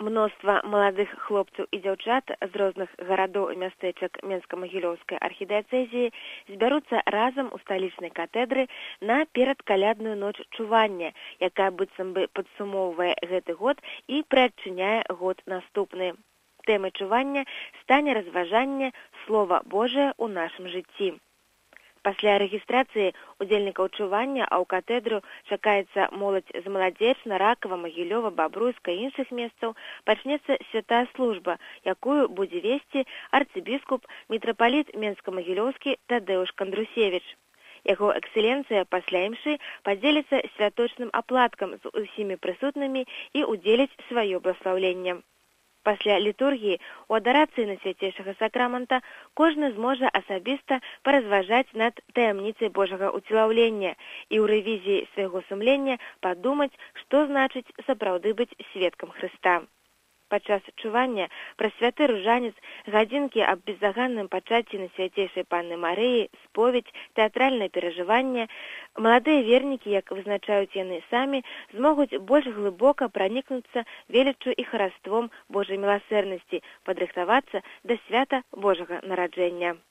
Мноства маладых хлопцаў і дзяўчат з розных гарадоў і мястэчак Менска-Магілёўскай архідыяцэзіі збяруцца разам у сталічнай катедры на перадкалядную ноч чування, якая быццам бы падсумоўвае гэты год і прыадчыняе год наступны. Тэмай чування стане разважанне Слова Божае ў нашым жыцці. Пасля рэгістрацыі удзельнікаў чування, а ў катедру чакаецца моладзь з Маладзечна, Ракава, Магілёва, Бабруйска і іншых месцаў, пачнецца святая служба, якую будзе весці арцыбіскуп мітрапаліт Менска-Магілёўскі Тадэуш Кандрусевіч. Яго эксцэленцыя пасля імшы падзеліцца святочным апладкам з усімі прысутнымі і ўдзеліць сваё бласлаўленне. Пасля літургіі у адарацыі на свяцейшага сакрамента кожны зможа асабіста паразважаць над таямніцай Божага ўцелаўлення і ў рэвізіі свайго сумлення падумаць, што значыць сапраўды быць сведкам Хрыста. Падчас чування прасвяты ружанец, гадзінкі аб бездаганным пачацці на свяцейшай Панны Марыі, споведь, тэатральнае перажыванне, маладыя вернікі, як вызначаюць яны самі, змогуць больш глыбока пранікнуцца веліччу і хараством Божай міласэрнасці, падрыхтавацца да свята Божага нараджэння.